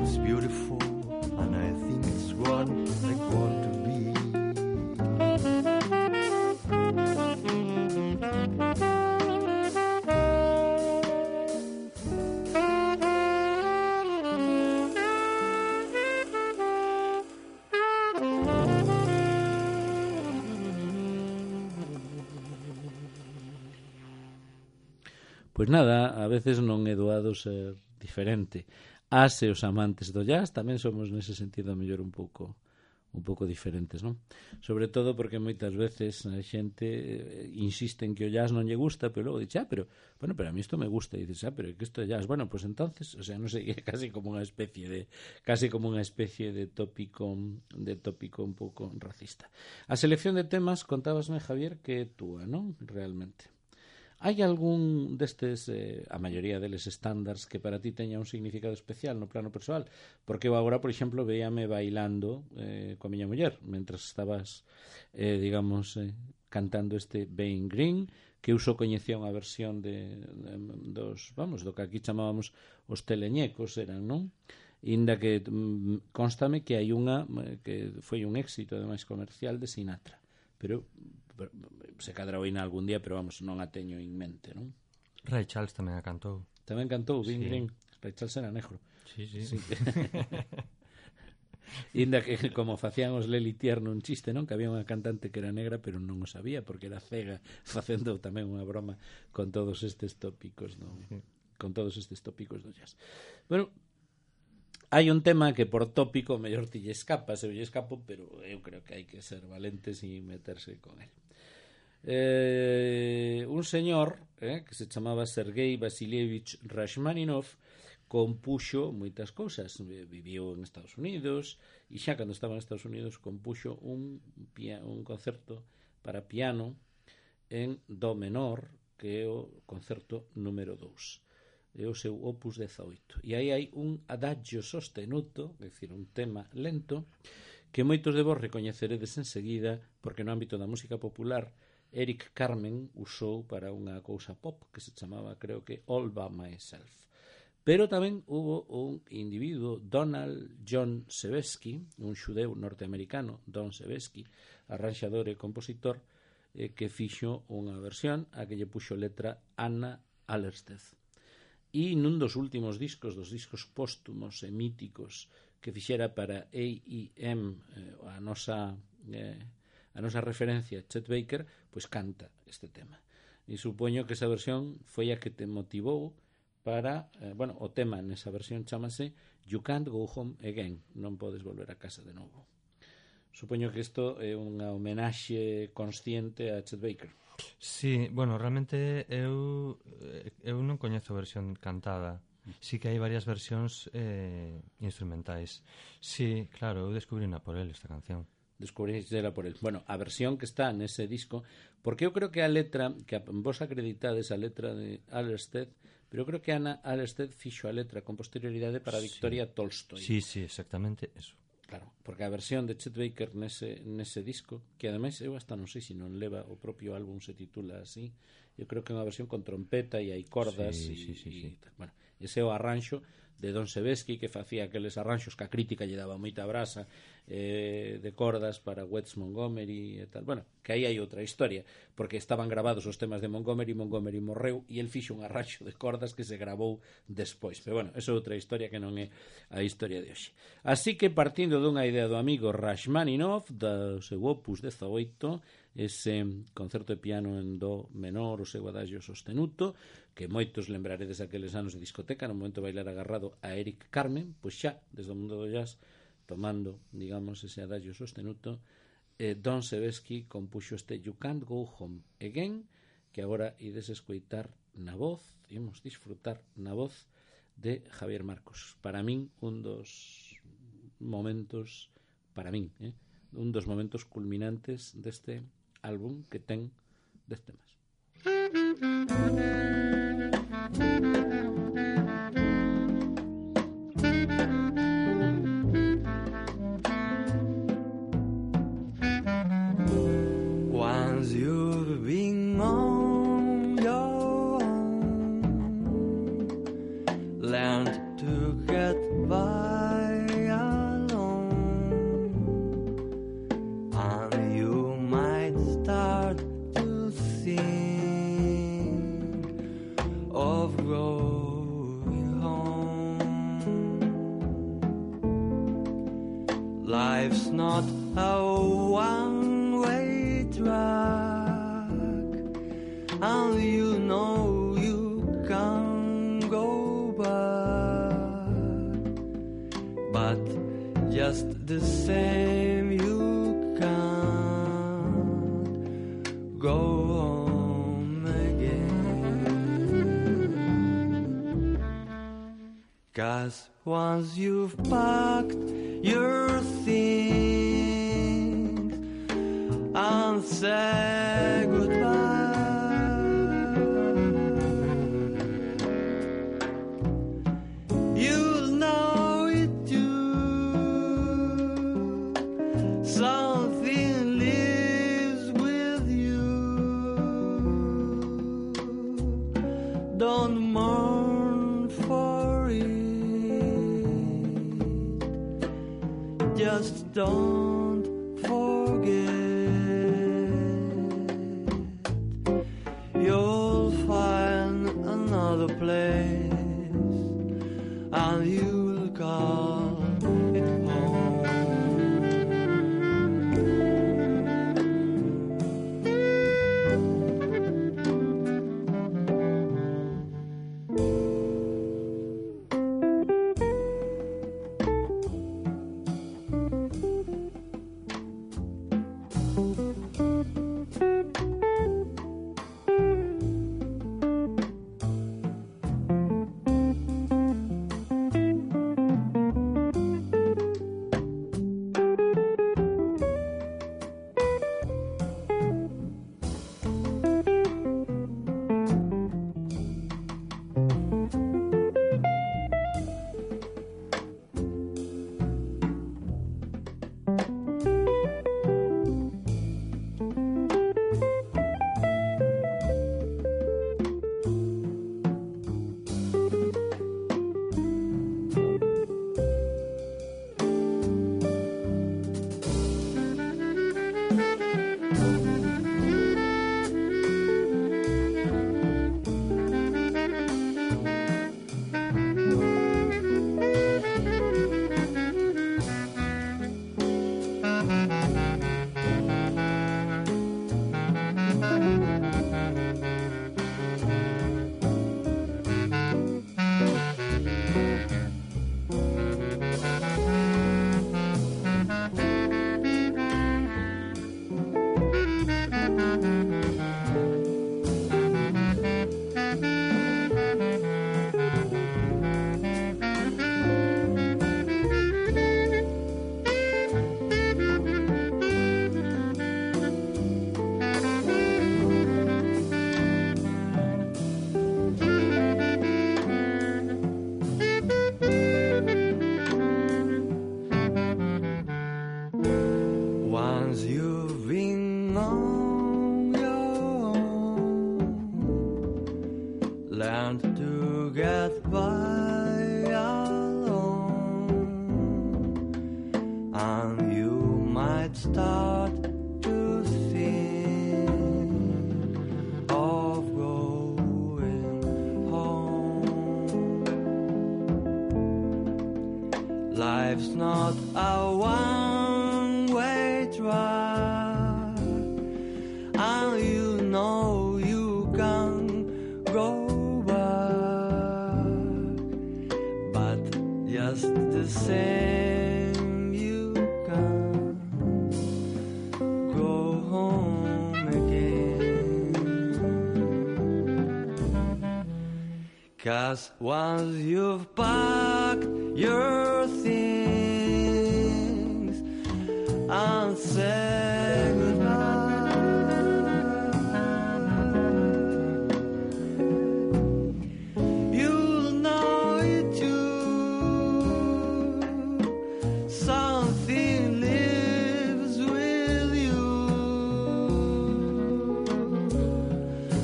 It's beautiful and I think it's what I want to be. Pois nada, a veces non é doado ser diferente. As e os amantes do jazz tamén somos nese sentido a mellor un pouco diferentes, non? Sobre todo porque moitas veces a xente insiste en que o jazz non lle gusta, pero logo dice, pero a mí isto me gusta, e dices, pero é que isto é jazz. Bueno, pues entonces, o sea, non sei, é casi como unha especie de tópico un pouco racista. A selección de temas, contábasme, Javier, que é túa, non? Realmente. Hai algún destes, a maioría deles estándares, que para ti teña un significado especial no plano persoal? Porque eu agora, por exemplo, veíame bailando coa miña muller, mentras estabas, cantando este Being Green, que eu só coñecía unha versión do que aquí chamábamos os teleñecos, eran, non? Inda que constame que hai unha que foi un éxito, ademais comercial, de Sinatra. Pero se cadra oína algún día, pero vamos, non a teño en mente, non? Ray Charles tamén a cantou. Tamén cantou, Bing Green. Ray Charles era negro. Sí. Inda que, como facían os Lely Tierno un chiste, non? Que había unha cantante que era negra, pero non o sabía, porque era cega, facendo tamén unha broma con todos estes tópicos, non? Con todos estes tópicos do jazz. Bueno, hai un tema que por tópico mellor ti lle escapas, eu lle escapo, pero eu creo que hai que ser valentes e meterse con el. Un señor que se chamaba Sergei Vasilievich Rachmaninov compuxo moitas cousas. Viviu en Estados Unidos e xa cando estaba en Estados Unidos compuxo un concerto para piano en do menor, que é o concerto número 2, é o seu opus 18, e aí hai un adagio sostenuto, é dicir, un tema lento, que moitos de vos recoñeceredes enseguida, porque no ámbito da música popular Eric Carmen usou para unha cousa pop que se chamaba, creo que, All By Myself. Pero tamén hubo un individuo, Donald John Sebesky, un xudeu norteamericano, Don Sebesky, arranxador e compositor, que fixo unha versión a que lle puxo letra Anna Alerstedt. E nun dos últimos discos, dos discos póstumos e míticos que fixera para AEM, a nosa referencia, Chet Baker, pois canta este tema. E supoño que esa versión foi a que te motivou para, o tema nesa versión chamase You Can't Go Home Again, non podes volver a casa de novo. Supoño que isto é unha homenaxe consciente a Chet Baker. Sí, realmente eu non coñezo a versión cantada. Sí que hai varias versións instrumentais. Sí, claro, eu descubrina por él esta canción. Descubrixela por él. A versión que está nese disco, porque eu creo que a letra, que vos acreditades a letra de Alerstedt, pero eu creo que Anna Alerstedt fixo a letra con posterioridade para Victoria Tolstoy. Sí, exactamente eso. Claro, porque a versión de Chet Baker nese disco, que ademais eu hasta non sei se non leva o propio álbum se titula así, eu creo que é unha versión con trompeta e hai cordas sí. Ese é o arranxo de Don Sebesky, que facía aqueles arranxos que a crítica lle daba moita brasa, de cordas para Wes Montgomery e tal. Que aí hai outra historia, porque estaban grabados os temas de Montgomery morreu e el fixo un arranxo de cordas que se grabou despois. Pero esa é outra historia que non é a historia de hoxe. Así que partindo dunha idea do amigo Rachmaninoff, do seu opus 18, ese concerto de piano en do menor, o seu adagio sostenuto, que moitos lembraredes aqueles anos de discoteca, no momento de bailar agarrado a Eric Carmen, pois xa, desde o mundo do jazz, tomando, digamos, ese adagio sostenuto, Don Sebesky compuxo este You Can't Go Home Again, que agora ides escoitar na voz, imos disfrutar na voz de Javier Marcos. Para min, un dos momentos culminantes deste álbum que ten 10 temas. Once you've been on your own, learned to get by alone, and you might start to think of going home. Life's not a one-way track, and you know you can go back, but just the same you can't go home again. 'Cause once you've packed your things and said goodbye, you'll know it too. Something lives with you. Don't mourn for it. Just don't forget. You'll find another place, and you'll call it home. learned to get by alone, and you might start to think of going home. Life's not a one-way drive, and you know you can go back, but just the same you can go home again. 'Cause once you've packed your things and said goodbye, you'll know it too. Something lives with you.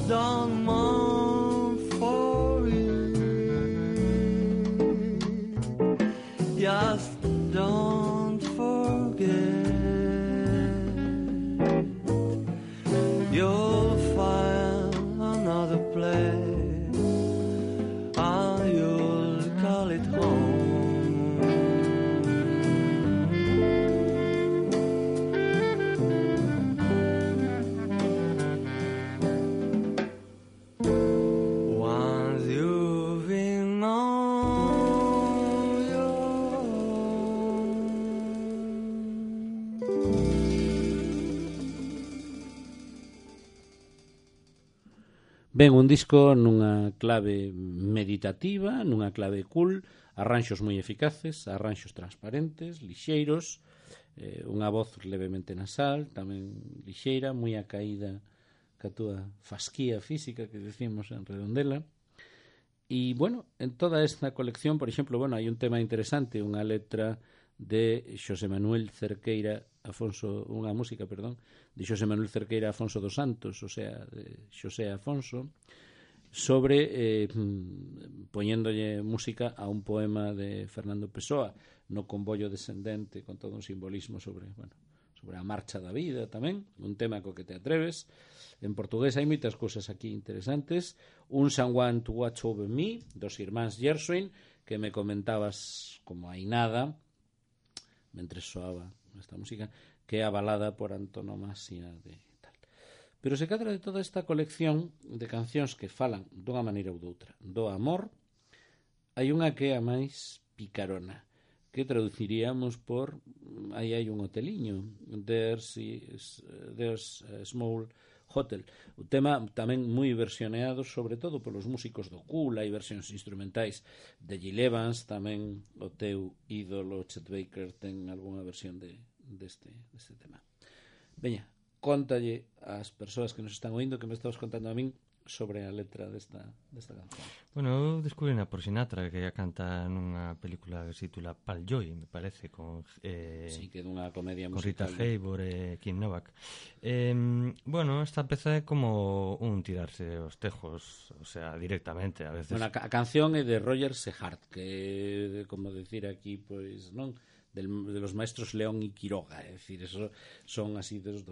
Don't mourn for it. Just don't forget. You'll find another place, and you'll call it home. Once you've been on your own. Ben, un disco nunha clave meditativa, nunha clave cool, arranxos moi eficaces, arranxos transparentes, lixeiros, unha voz levemente nasal, tamén lixeira, moi acaída ca túa fasquía física que decimos en Redondela. E, bueno, en toda esta colección, por exemplo, bueno, hai un tema interesante, unha letra de Xosé Manuel Cerqueira Afonso, unha música, perdón, de Xosé Manuel Cerqueira Afonso dos Santos, o sea, de Xosé Afonso, sobre poñéndolle música a un poema de Fernando Pessoa, no convollo descendente, con todo un simbolismo sobre, bueno, sobre a marcha da vida tamén, un tema co que te atreves. En portugués hai moitas cousas aquí interesantes. Un Someone to Watch Over Me, dos irmáns Gershwin, que me comentabas como hai nada, mentre soaba esta música, que é a balada por antonomasia de tal. Pero se cadra de toda esta colección de cancións que falan dunha maneira ou doutra do amor, hai unha que é a máis picarona, que traduciríamos por aí hai un hoteliño, There's a Small Hotel. O tema tamén moi versioneado, sobre todo polos músicos do Cool, hai versións instrumentais de Gil Evans, tamén o teu ídolo Chet Baker ten algunha versión deste tema. Veña, contalle ás persoas que nos están oindo, que me estabas contando a min sobre a letra desta canción. Bueno, eu descubrína por Sinatra, que a canta nunha película que se titula Pal Joy, me parece, con sí, que é dunha comedia con musical. Rita Hayworth e Kim Novak. Bueno, esta peza é como un tirarse os tejos, o sea, directamente, a veces. Bueno, a canción é de Roger Sehart, que é, como decir aquí, pois, non? De los maestros León y Quiroga, é dicir, eso son así dos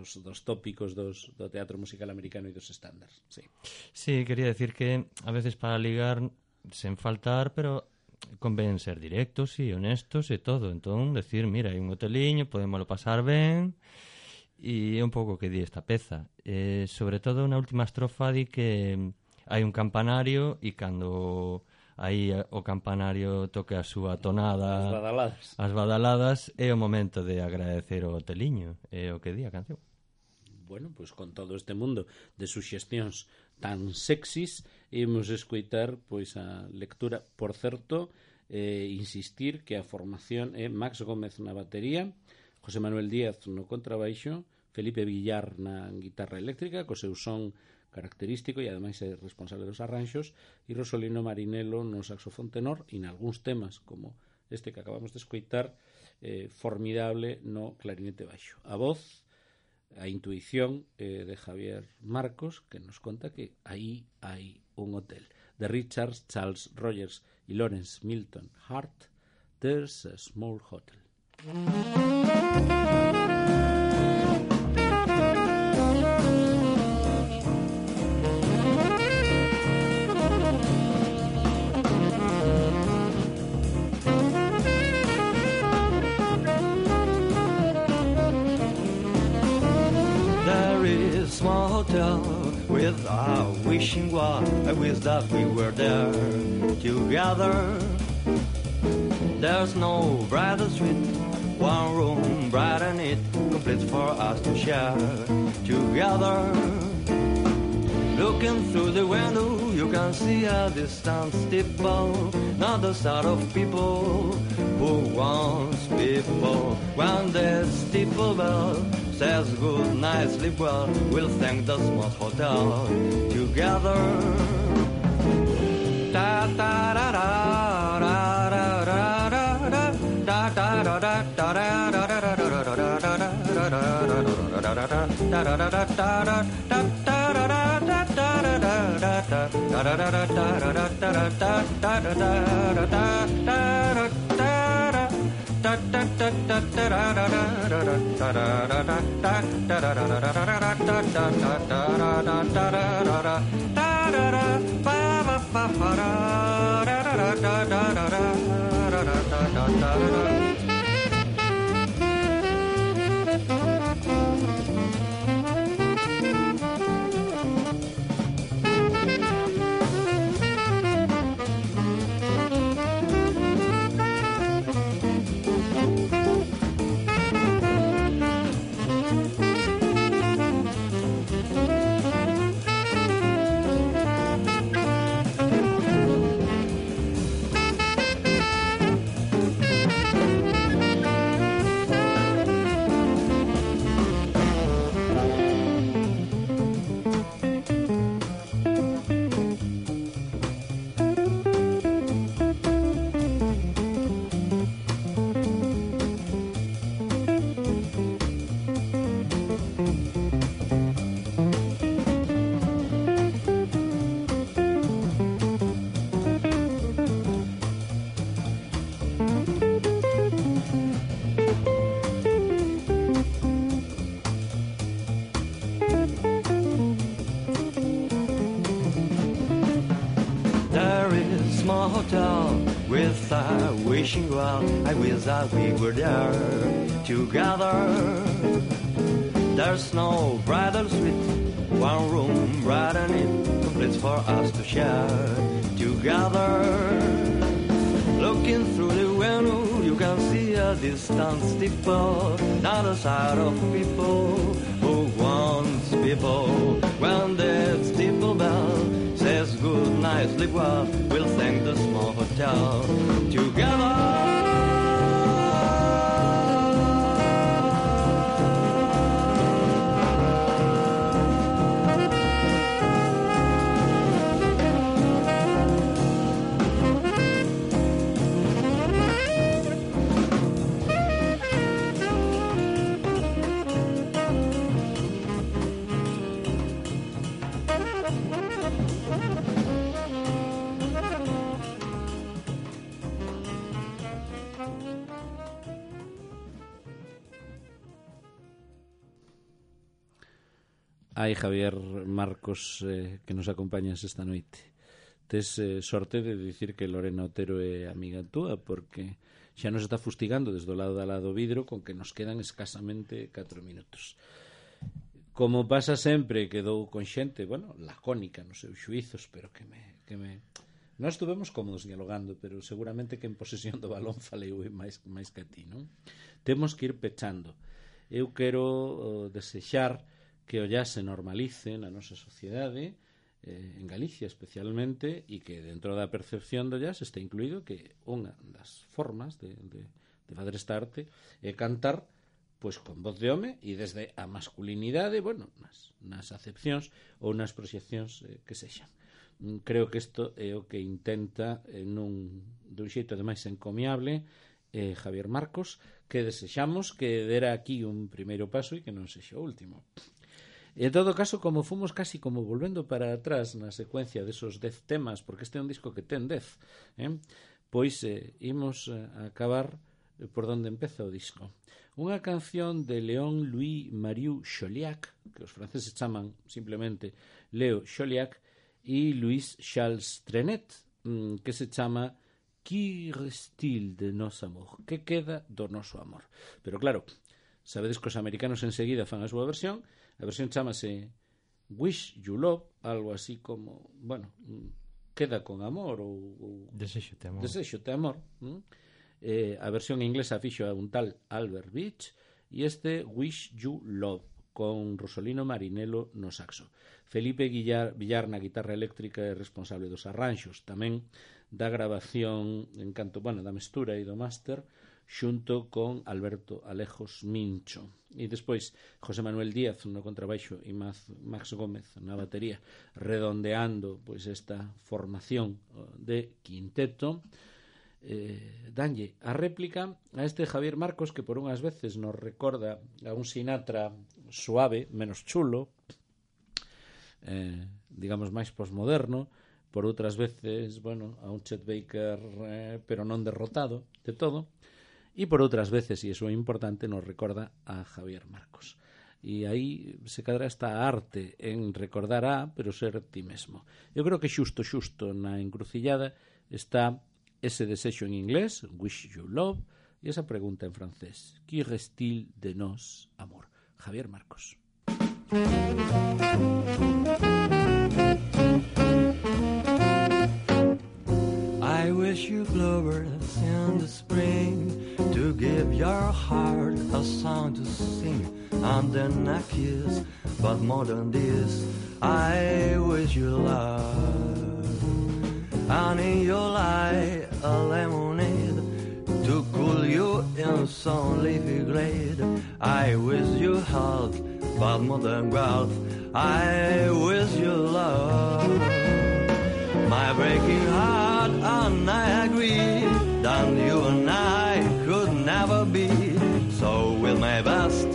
tópicos do teatro musical americano e dos estándares. Sí. Sí, quería decir que a veces para ligar sen faltar, pero convén ser directos e honestos e todo. Entón, decir, mira, hai un hoteliño, podémoslo pasar ben, e é un pouco que di esta peza. Sobre todo na última estrofa di que hai un campanario e cando aí o campanario toque a súa tonada, as badaladas, é o momento de agradecer o hoteliño, é o que di a canción. Bueno, pois con todo este mundo de suxestións tan sexys, imos escoitar pois a lectura. Por certo, insistir que a formación é Max Gómez na batería, José Manuel Díaz no contrabaixo, Felipe Villar na guitarra eléctrica, co seu son característico e ademais é responsable dos arranxos, e Rosolino Marinelo no saxofón tenor e nalgúns temas como este que acabamos de escoitar, formidable no clarinete baixo. A voz, a intuición de Javier Marcos, que nos conta que aí hai un hotel. de Richards, Charles Rogers y Lawrence Milton Hart, There's a Small Hotel. Small hotel with a wishing well. I wish that we were there together. There's no brighter street, one room bright and neat, complete for us to share together. Looking through the window, you can see a distant steeple, not the sort of people who wants people. When the steeple bell says good night, sleep well, we'll thank the small hotel together. Da da da da da da da da da da da with a wishing well. I wish that we were there together. There's no bridal suite, one room bright and neat, complete for us to share together. Looking through the window, you can see a distant steeple, not a side of people who wants people. When the steeple bell says good night, sleep well, we'll thank the small hotel together. Ai, Javier Marcos, que nos acompañas esta noite. Tes sorte de dicir que Lorena Otero é amiga túa, porque xa nos está fustigando desde o lado da lado vidro con que nos quedan escasamente 4 minutos. Como pasa sempre, quedou con xente, bueno, lacónica nos seus xuizos, pero que me... Nós estuvemos cómodos dialogando, pero seguramente que en posesión do balón falei máis que a ti, non? Temos que ir pechando. Eu quero desexar que o jazz se normalice na nosa sociedade, en Galicia especialmente, e que dentro da percepción do jazz está incluído que unha das formas de fazer esta arte é cantar pois con voz de home e desde a masculinidade, bueno, nas acepcións ou nas proxeccións que sexan. Creo que isto é o que intenta dun xeito ademais encomiable Javier Marcos, que desexamos que dera aquí un primeiro paso e que non sexa o último. En todo caso, como fomos casi como volvendo para atrás na secuencia desos 10 temas, porque este é un disco que ten 10, pois imos a acabar por donde empeza o disco. Unha canción de Léon Louis Marius Chauliac, que os franceses chaman simplemente Léo Chauliac, e Louis Charles Trenet, que se chama Qui reste de nos amor? Que queda do noso amor? Pero claro, sabedes que os americanos enseguida fan a súa versión. A versión chamase Wish You Love, algo así como, bueno, queda con amor ou Desexote amor. Desexote amor. A versión inglesa fixo a un tal Albert Beach e este Wish You Love con Rosolino Marinello no saxo. Felipe Villar na guitarra eléctrica é responsable dos arranxos, tamén da grabación en canto, bueno, da mestura e do máster xunto con Alberto Alejos Mincho. E despois José Manuel Díaz no contrabaixo e Max Gómez na batería, redondeando pois esta formación de quinteto. Danlle a réplica a este Javier Marcos, que por unhas veces nos recorda a un Sinatra suave, menos chulo, digamos máis posmoderno, por outras veces, bueno, a un Chet Baker pero non derrotado de todo, e por outras veces, e iso é importante, nos recorda a Javier Marcos. E aí se cadra esta arte en recordar a, pero ser ti mesmo. Eu creo que xusto na encrucillada está ese desexo en inglés, Wish You Love, e esa pregunta en francés, Qui reste de nos amor? Javier Marcos. I wish you bluebirds in the spring to give your heart a song to sing and then a kiss, but more than this I wish you love, and in your light a lemonade to cool you in some leafy glade. I wish you health, but more than wealth I wish you love. My breaking heart, and I agree that you and I could never be. So with my best,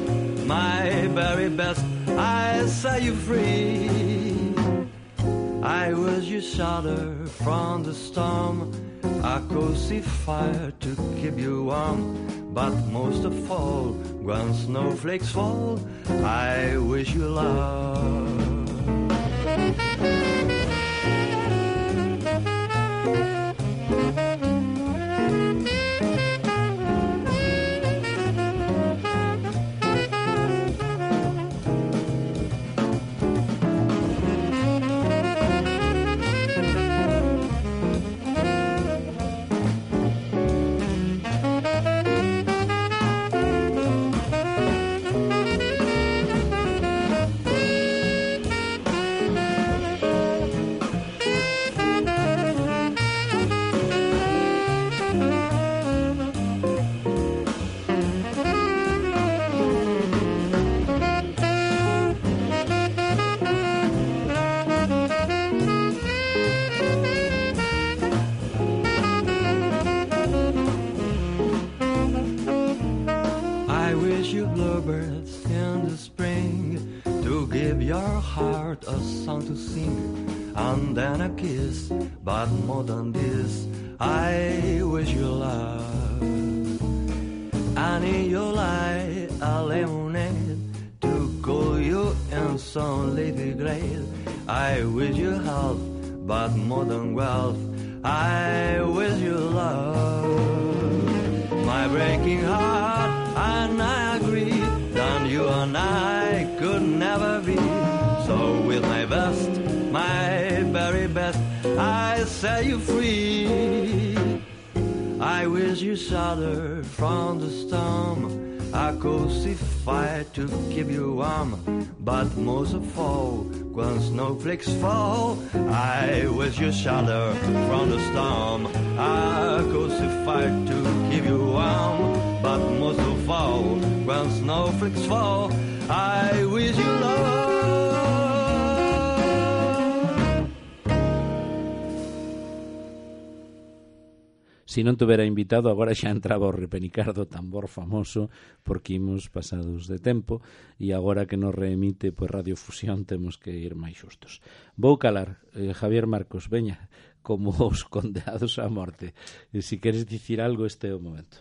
my very best, I set you free. I wish you shelter from the storm, a cozy fire to keep you warm. But most of all, when snowflakes fall, I wish you love. But more than this, I wish you love, and in your light a lemonade to cool you in some leafy glade. I wish you health, but more than wealth, I wish you love. My breaking heart, and I agree that you and I could never be. So with my best, my very best, I set you free. I wish you shelter from the storm, a cozy fire to keep you warm. But most of all, when snowflakes fall, I wish you shelter from the storm, a cozy fire to keep you warm. But most of all, when snowflakes fall, I wish you love. Se non tuvera invitado, agora xa entraba o repenicar do tambor famoso, porque imos pasados de tempo, e agora que nos reemite pois Radio Fusión temos que ir máis xustos. Vou calar, Javier Marcos, veña, como os condeados á morte. E se queres dicir algo, este é o momento.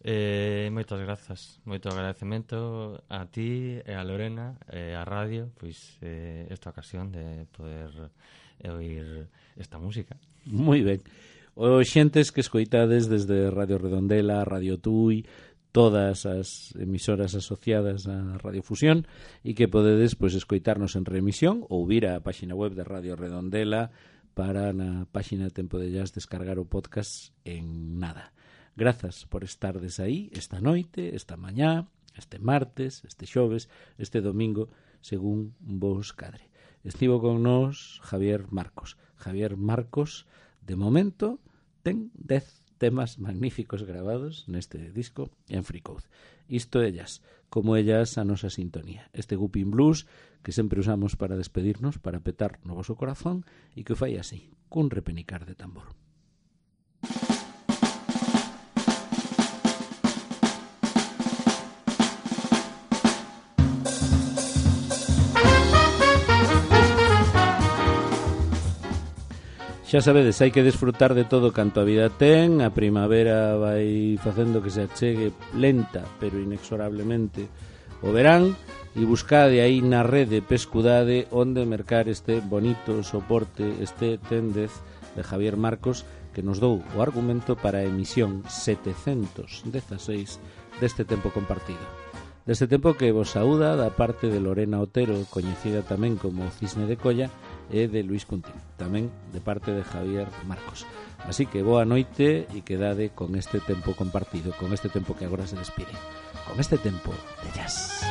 Moitas grazas, moito agradecemento a ti e a Lorena e a radio, pois esta ocasión de poder oír esta música. Moi ben. Os xentes que escoitades desde Radio Redondela, Radio Tui, todas as emisoras asociadas a Radio Fusión, e que podedes pois escoitarnos en remisión ou vir á páxina web de Radio Redondela para na páxina Tempo de Jazz descargar o podcast en nada. Grazas por estardes aí esta noite, esta mañá, este martes, este xoves, este domingo, según vos cadre. Estivo con nós Javier Marcos. Javier Marcos, de momento, ten 10 temas magníficos gravados neste disco en Freecode. Isto é jazz, como é jazz a nosa sintonía. Este Gupin Blues que sempre usamos para despedirnos, para petar no voso corazón, e que o fai así, cun repenicar de tambor. Xa sabedes, hai que desfrutar de todo canto a vida ten. A primavera vai facendo que se achegue lenta, pero inexorablemente o verán, e buscade aí na rede pescudade onde mercar este bonito soporte, este Tendez de Javier Marcos, que nos dou o argumento para a emisión 716 deste tempo compartido. Deste tempo que vos saúda da parte de Lorena Otero, coñecida tamén como Cisne de Colla, e de Luis Cuntín, tamén de parte de Javier Marcos. Así que boa noite e quedade con este tempo compartido, con este tempo que agora se despide, con este tempo de jazz.